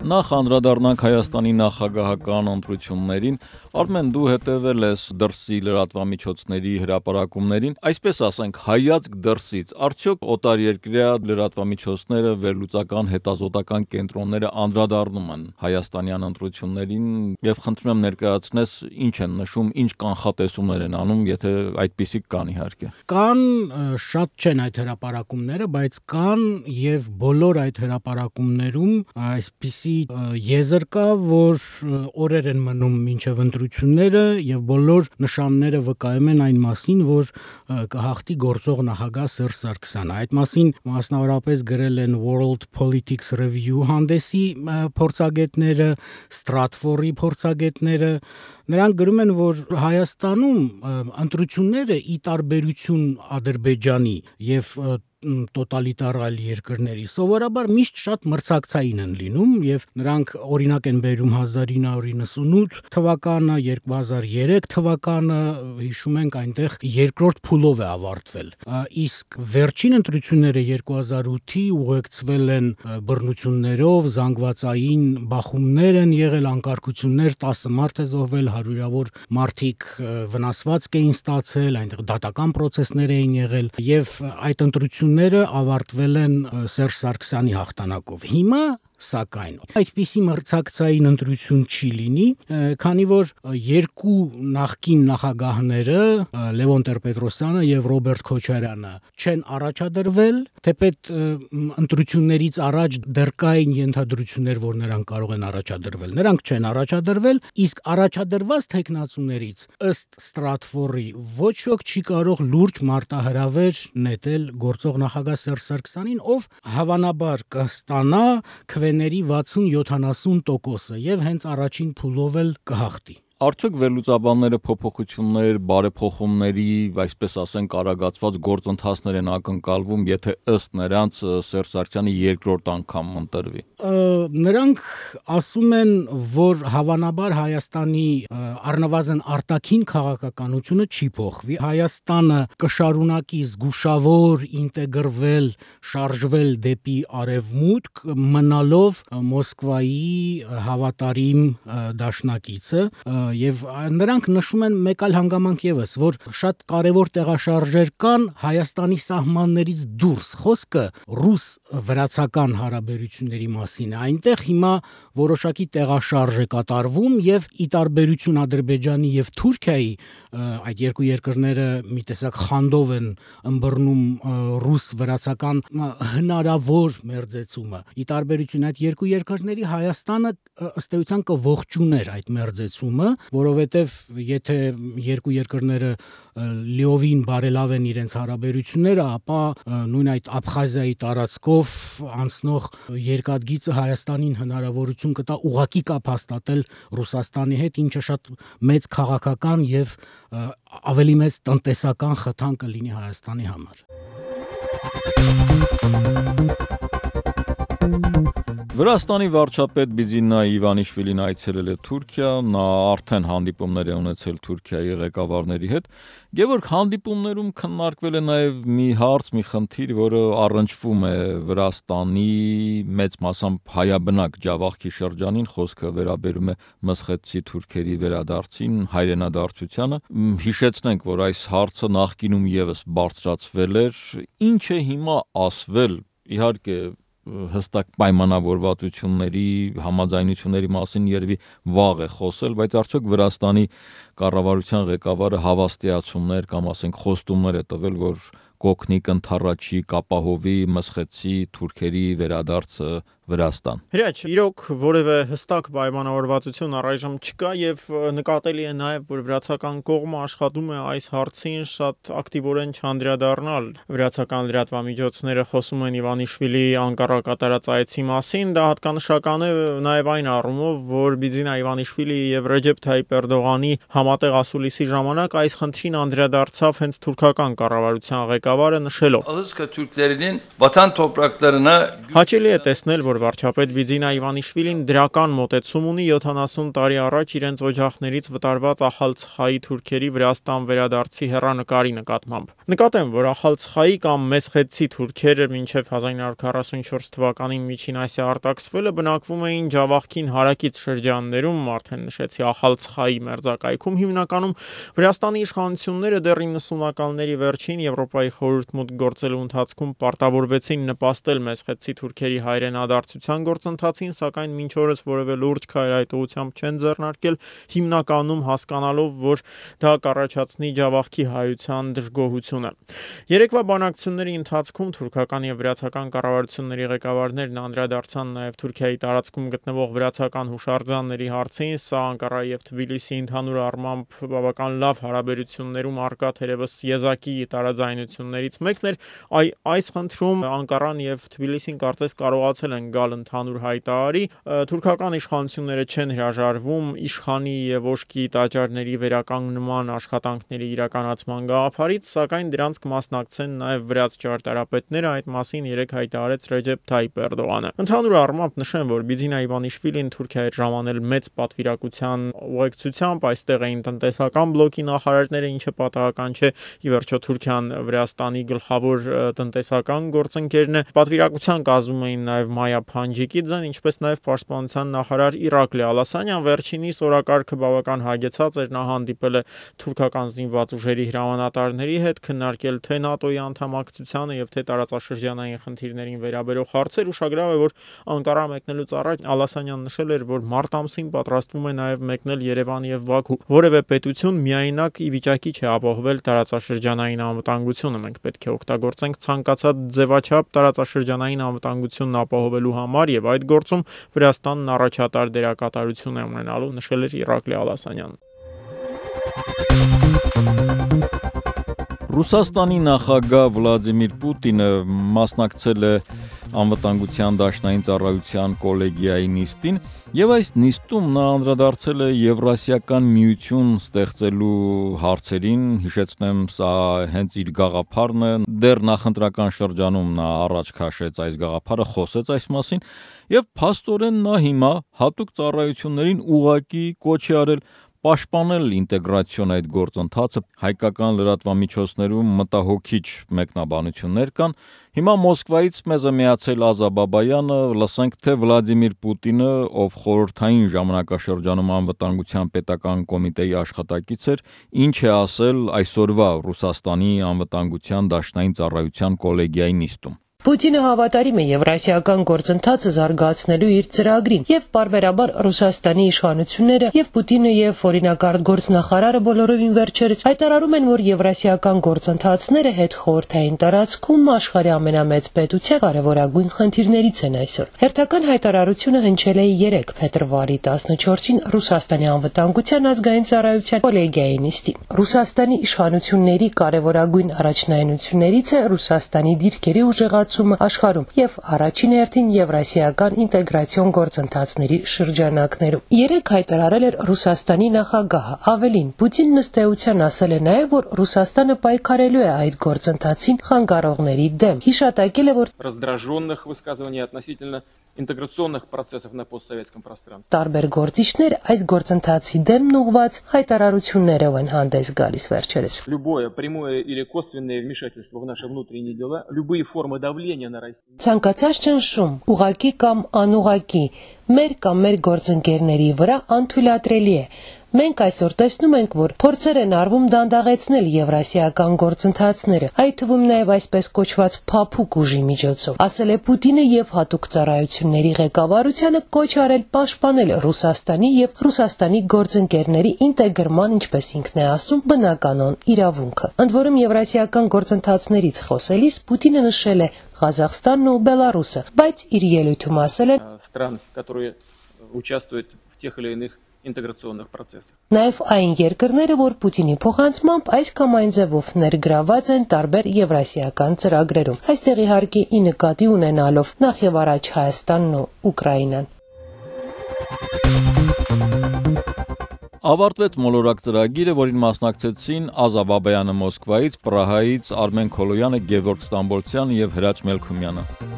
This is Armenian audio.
Նախ անդրադառնանք Հայաստանի նախագահական ընտրություններին, Արմեն դու հետևել ես դրսի լրատվամիջոցների հրապարակումներին, այսպես ասենք հայացք դրսից, արդյոք օտարերկրյա լրատվամիջոցները, վերլուծական հետազոտական կենտրոնները անդրադառնում են հայաստանյան ընտրություններին եւ խնդրում եմ ներկայացնես ինչ են նշում, ինչ կանխատեսումներ են անում, եթե այդպիսիք կան իհարկե։ Կան շատ չեն այդ հրապարակումները, բայց կան եւ բոլոր այդ հրապարակումներում այսպիսի եզր կա, որ օրեր են մնում մինչև ընտրությունները եւ բոլոր նշանները վկայում են այն մասին, որ կհաղթի գործող նախագահ Սերժ Սարգսյանը։ Այդ մասին մասնավորապես գրել են World Politics Review հանդեսի փորձագետները, Stratfor-ի փորձագետները։ Նրանք գրում են, որ Հայաստանում ընտրությունները ի տարբերություն Ադրբեջանի եւ տոտալիտար այլ երկրների սովորաբար միշտ շատ մրցակցային են լինում եւ նրանք օրինակ են բերում 1998 թվականը, 2003 թվականը, հիշում ենք այնտեղ երկրորդ փուլով է ավարտվել։ Իսկ վերջին ընտրությունները 2008-ի ուղեկցվել են բռնություններով, զանգվածային բախումներ են եղել, անկարգություններ, 10 մարդ է զոհվել, հարյուրավոր մարդիկ վնասվածք էին ստացել, այնտեղ դատական պրոցեսներ էին եղել եւ այդ ընտրությունները ավարտվել են Սերժ Սարգսյանի հաղթանակով։ Հիմա սակայն այդպիսի մրցակցային ընտրություն չի լինի, քանի որ երկու նախկին նախագահները Լևոն Տեր-Պետրոսյանը եւ Ռոբերտ Քոչարյանը չեն առաջադրվել, թեպետ ընտրություններից առաջ դեռ կային ենթադրություններ, որ նրանք կարող են առաջադրվել։ Նրանք չեն առաջադրվել, իսկ առաջադրված թեկնածուներից ըստ Stratfor-ի ոչ ոք չի կարող լուրջ մարտահրավեր նետել գործող նախագահ Սերժ Սարգսյանին, ով հավանաբար կստանա քվեների 60-70% եւ հենց առաջին փուլով էլ կհաղթի։ Արդյոք վերլուծաբանները փոփոխություններ, բարեփոխումների, այսպես ասենք, արագացված գործընթացներ են ակնկալվում, եթե ըստ նրանց Սերժ Սարգսյանի երկրորդ անգամ ընտրվի։ Նրանք ասում են, որ հավանաբար Հայաստանի առնվազն արտաքին քաղաքականությունը չի փոխվի։ Հայաստանը կշարունակի զգուշավոր ինտեգրվել, շարժվել դեպի արևմուտք, մնալով Մոսկվայի հավատարիմ դաշնակիցը։ Եվ նրանք նշում են մեկ այլ հանգամանք եւս, որ շատ կարևոր տեղաշարժեր կան Հայաստանի սահմաններից դուրս։ Խոսքը ռուս-վրացական հարաբերությունների մասին է։ Այնտեղ հիմա որոշակի տեղաշարժ է կատարվում եւ ի տարբերություն Ադրբեջանի եւ Թուրքիայի, այդ երկու երկրները մի տեսակ խանդով են ըմբռնում ռուս-վրացական հնարավոր մերձեցումը։ Ի տարբերություն այդ երկու երկրների Հայաստանը ըստ էության կողջուներ այդ մերձեցումը, որովհետև եթե երկու երկրները լիովին բարելավեն իրենց հարաբերությունները, ապա նույն այդ Աբխազիայի տարածքով անցնող երկաթգիծը Հայաստանին հնարավորություն կտա ուղղակի կապ հաստատել Ռուսաստանի հետ, ինչը շատ մեծ քաղաքական եւ ավելի մեծ տնտեսական խթան կլինի Հայաստանի համար։ Վրաստանի վարչապետ Բիձինա Իվանիշվիլին այցելել է Թուրքիա, նա արդեն հանդիպումներ է ունեցել Թուրքիայի ղեկավարների հետ, Գևորգ, հանդիպումներում քննարկվել է նաև մի հարց, մի խնդիր, որը առնչվում է Վրաստանի մեծ մասամբ հայաբնակ Ջավախքի շրջանին, խոսքը վերաբերում է մսխետցի թուրքերի վերադարձին, հայրենադարձությանը։ Հիշեցնենք, որ այս հարցը նախկինում եւս բարձրացվել էր, ինչ է հիմա ասվել, իհարկե հստակ պայմանավորվածությունների, համաձայնությունների մասին երևի վաղ է խոսել, բայց արդյոք Վրաստանի կառավարության ղեկավարը հավաստիացումներ կամ ասենք խոստումներ է տվել, որ կօգնի կընդառաջի կապահովի մսխետցի թուրքերի վերադարձը Վրաստան։ Հրաչ, իրոք որևէ հստակ պայմանավորվածություն առայժմ չկա եւ նկատելի է նաեւ, որ վրացական կողմը աշխատում է այս հարցին շատ ակտիվորեն չանդրադառնալ։ Վրացական լրատվամիջոցները խոսում են Իվանիշվիլիի Անկարա կատարած այցի մասին, դա հատկանշական է նաեւ այն առումով, որ Բիձինա Իվանիշվիլիի եւ Ռեջեփ Թայիփ Էրդողանի համատեղ ասուլիսի ժամանակ այս խնդրին անդրադարձավ հենց թուրքական կառավարության ղեկավարը նշելով. Ալսկա թուրքերին վատան տոպրակlarına Հաճելի է տեսնել, որ որ վարչապետ Բիձինա Իվանիշվիլին դրական մոտեցում ունի 70 տարի առաջ իրենց օջախներից վտարված Ախալցխայի թուրքերի Վրաստան վերադարձի հեռանկարի նկատմամբ։ Նկատեմ, որ Ախալցխայի կամ Մեսխեցի թուրքերը մինչև 1944 թվականին Միջին Ասիա արտաքսվելը բնակվում էին Ջավախքին հարակից շրջաններում, արդեն նշեցի Ախալցխայի մերձակայքում, հիմնականում Վրաստանի իշխանությունները դեռ 90-ականների վերջին Եվրոպայի խորհուրդ մուտք գործելու ընթացքում պարտավորվեցին նպաստել Մեսխեցի թուրքերի հայրենադարձության գործընթացին, սակայն մինչ օրս որևէ լուրջ քայլ այդ ուղղությամբ չեն ձեռնարկել, հիմնականում հասկանալով, որ դա կառաջացնի Ջավախքի հայության դժգոհությունը։ Երեկվա բանակցությունների ընթացքում թուրքական եւ վրացական կառավարությունների ղեկավարներն անդրադարձան նաեւ Թուրքիայի տարածքում գտնվող վրացական հուշարձանների հարցին, սա Անկարա եւ Թբիլիսի ընդհանուր առմամբ բավական լավ հարաբերություններում արկա թերևս եզակի տարաձայնություններից մեկն էր, այս խնդրում Անկարան եւ Թբիլիսին կարծես կարողացել են գալ ընդհանուր հայտարարի, թուրքական իշխանությունները չեն հրաժարվում իշխանի եւ ոշկի տաճարների վերականգնման աշխատանքների իրականացման գաղափարից, սակայն դրանց կմասնակցեն նաեւ վրաց ճարտարապետները, այդ մասին երեկ հայտարարեց Ռեջեփ Թայիպ Էրդողանը։ Ընդհանուր առմամբ նշեմ, որ Բիձինա Իվանիշվիլին Թուրքիա էր ժամանել մեծ պատվիրակության ուղեկցությամբ, այստեղ էին տնտեսական բլոկի նախարարները, ինչը պատահական չէ, ի վերջո Թուրքիան Վրաստանի գլխավոր տնտեսական գործընկերն է։ Պատվիրակության կազմում էին նաև Մայա Փանջիկիձեն, ինչպես նաև պաշտպանության նախարար Իրակլի Ալասանյան, վերջինիս օրակարգը բավական հագեցած էր, նա հանդիպել է թուրքական զինված ուժերի հրամանատարների հետ, քննարկել թե ՆԱՏՕ-ի անդամակցությանը եւ թե տարածաշրջանային խնդիրներին վերաբերող հարցեր, ուշագրավ է, որ Անկարա մեկնելուց առաջ Ալասանյան նշել էր, որ մարտ ամսին պատրաստվում է նաև մեկնել Երևան եւ Բաքու։ Որևէ պետություն միայնակ ի վիճակի չէ ապահովել տարածաշրջանային անվտանգությունը։ Մենք պետք է օգտագործենք ցանկացած ձևաչափ տարածաշրջանային անվտանգությունն ապահովելու համար եւ այդ գործում Վրաստանն առաջատար դերակատարություն է ունենալու, նշել էր Իրակլի Ալասանյանը։ Ռուսաստանի նախագահ Վլադիմիր Պուտինը մասնակցել է անվտանգության դաշնային ծառայության կոլեգիայի նիստին եւ այս նիստում նա անդրադարձել է Եվրասիական միություն ստեղծելու հարցերին, հիշեցնեմ, սա հենց իր գաղափարն է, դեռ նախընտրական շրջանում նա առաջ քաշեց այս գաղափարը, խոսեց այս մասին եւ փաստորեն նա հիմա հատուկ ծառայություններին ուղակի կոչ է արել պաշտպանել ինտեգրացիոն այդ գործընթացը, հայկական լրատվամիջոցներում մտահոգիչ մեկնաբանություններ կան։ Հիմա Մոսկվայից մեզ է միացել Ազա Բաբայանը, լսենք թե Վլադիմիր Պուտինը, ով խորհրդային ժամանակաշրջանում անվտանգության պետական կոմիտեի աշխատակից էր, ինչ է ասել այսօրվա Ռուսաստանի անվտանգության դաշնային ծառայության կոլեգիայի նիստում։ Պուտինը հավատարիմ է Եվրասիական գործընթացը զարգացնելու իր ծրագրին եւ պարբերաբար Ռուսաստանի իշխանությունները եւ Պուտինը եւ օրինակարգ գործնախարարը բոլորովին վերջերս հայտարարում են, որ Եվրասիական գործընթացները հետ խորհրդային տարածքում աշխարհի ամենամեծ պետության կարևորագույն խնդիրներից են այսօր։ Հերթական հայտարարությունը հնչել է 3 փետրվարի 14-ին Ռուսաստանի անվտանգության ազգային ծառայության կոլեգիայի նիստին։ Ռուսաստանի իշխանությունների կարևորագույն առաջնայնություններից է Ռուսաստանի դիրքերի ուժեղացումը աշխարհում եւ առաջին հերթին եվրասիական ինտեգրացիոն գործընթացների շրջանակներում։ Երեք հայտարարել էր Ռուսաստանի նախագահը, ավելին Պուտինն ըստ էության ասել է նաեւ, որ Ռուսաստանը պայքարելու է այդ գործընթացին խանգարողների դեմ։ Հիշատակել է, որ раздраженных высказываний относительно интеграционных процессов на постсоветском пространстве. Տարբեր գործիչներ այս գործընթացի դեմ ուղղված հայտարարություններով են հանդես գալիս վերջերս։ Любое прямое или косвенное вмешательство в наши внутренние дела, любые формы давления на Россию. Ցանկացած ճնշում, ուղակի կամ անուղակի, մեր կամ մեր գործընկերների վրա անթույլատրելի է։ Մենք այսօր տեսնում ենք, որ փորձեր են արվում դանդաղեցնել եվրասիական գործընթացները, այդ թվում նաև այսպես կոչված փափուկ ուժի միջոցով, ասել է Պուտինը եւ հատուկ ծառայությունների ղեկավարությանը կոչ արել պաշտպանել Ռուսաստանի եւ Ռուսաստանի գործընկերների ինտեգրման, ինչպես ինքն է ասում, բնականon իրավունքը։ Ընդ որում եվրասիական գործընթացներից խոսելիս Պուտինը նշել է Ղազախստանն ու Բելարուսը, բայց իր ելույթում ասել է стран, которые участвуют в тех или иных ինտեգրացիոնных procesах. Նաև այն երկրները, որ Պուտինի փոխանցմամբ այս կամ այն ձևով ներգրաված են տարբեր եվրասիական ծրագրերում։ Այստեղ իհարկե ի նկատի ունենալով նախ եւ առաջ Հայաստանն ու Ուկրաինան։ Ավարտվեց մոլորակ ծրագիրը, որին մասնակցեցին Ազա Բաբայանը Մոսկվայից, Պրահայից, Արմեն Քոլոյանը, Գևորգ Ստամբոլցյանը եւ Հրաչ Մելքումյանը։